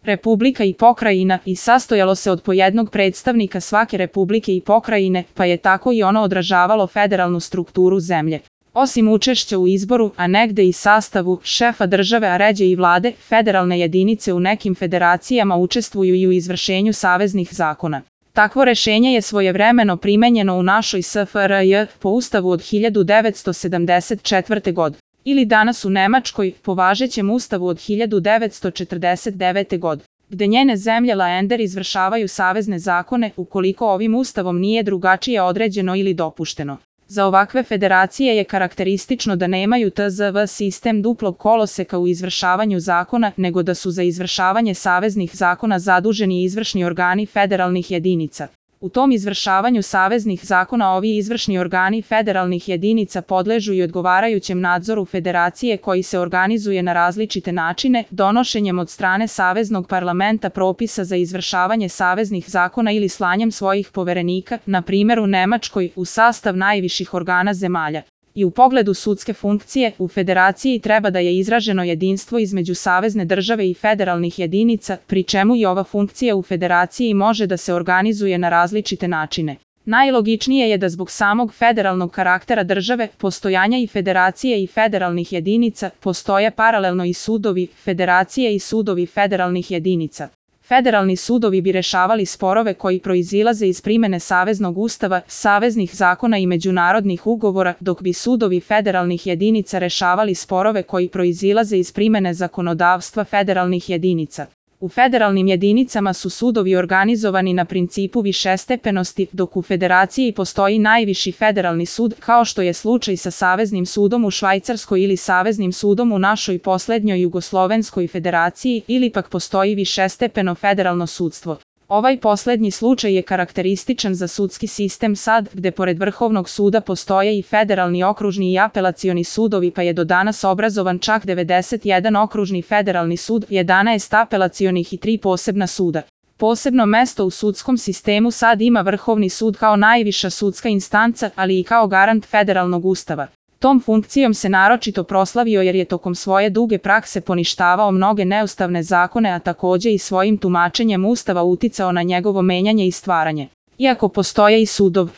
republika i pokrajina i sastojalo se od po jednog predstavnika svake republike i pokrajine, pa je tako i ono odražavalo federalnu strukturu zemlje. Osim učešća u izboru, a negde i sastavu, šefa države, a ređe i vlade, federalne jedinice u nekim federacijama učestvuju i u izvršenju saveznih zakona. Takvo rešenje je svojevremeno primenjeno u našoj SFRJ po Ustavu od 1974. godine. Ili danas u Nemačkoj, po važećem Ustavu od 1949. godine, gde njene zemlje Länder izvršavaju savezne zakone ukoliko ovim ustavom nije drugačije određeno ili dopušteno. Za ovakve federacije je karakteristično da nemaju TZV sistem duplog koloseka u izvršavanju zakona, nego da su za izvršavanje saveznih zakona zaduženi izvršni organi federalnih jedinica. U tom izvršavanju saveznih zakona ovi izvršni organi federalnih jedinica podležu i odgovarajućem nadzoru federacije koji se organizuje na različite načine, donošenjem od strane Saveznog parlamenta propisa za izvršavanje saveznih zakona ili slanjem svojih poverenika, na primjer u Nemačkoj, u sastav najviših organa zemalja. I u pogledu sudske funkcije, u federaciji treba da je izraženo jedinstvo između savezne države i federalnih jedinica, pri čemu i ova funkcija u federaciji može da se organizuje na različite načine. Najlogičnije je da zbog samog federalnog karaktera države, postojanja i federacije i federalnih jedinica, postoje paralelno i sudovi federacije i sudovi federalnih jedinica. Federalni sudovi bi rešavali sporove koji proizilaze iz primene Saveznog ustava, saveznih zakona i međunarodnih ugovora, dok bi sudovi federalnih jedinica rešavali sporove koji proizilaze iz primene zakonodavstva federalnih jedinica. U federalnim jedinicama su sudovi organizovani na principu višestepenosti, dok u federaciji postoji najviši federalni sud, kao što je slučaj sa Saveznim sudom u Švajcarskoj ili Saveznim sudom u našoj poslednjoj Jugoslovenskoj federaciji, ili pak postoji višestepeno federalno sudstvo. Ovaj poslednji slučaj je karakterističan za sudski sistem SAD, gde pored Vrhovnog suda postoje i federalni okružni i apelacioni sudovi, pa je do danas obrazovan čak 91 okružni federalni sud, 11 apelacionih i 3 posebna suda. Posebno mesto u sudskom sistemu SAD ima Vrhovni sud kao najviša sudska instanca, ali i kao garant federalnog ustava. Tom funkcijom se naročito proslavio jer je tokom svoje duge prakse poništavao mnoge neustavne zakone, a takođe i svojim tumačenjem ustava uticao na njegovo menjanje i stvaranje. Iako postoje i sudov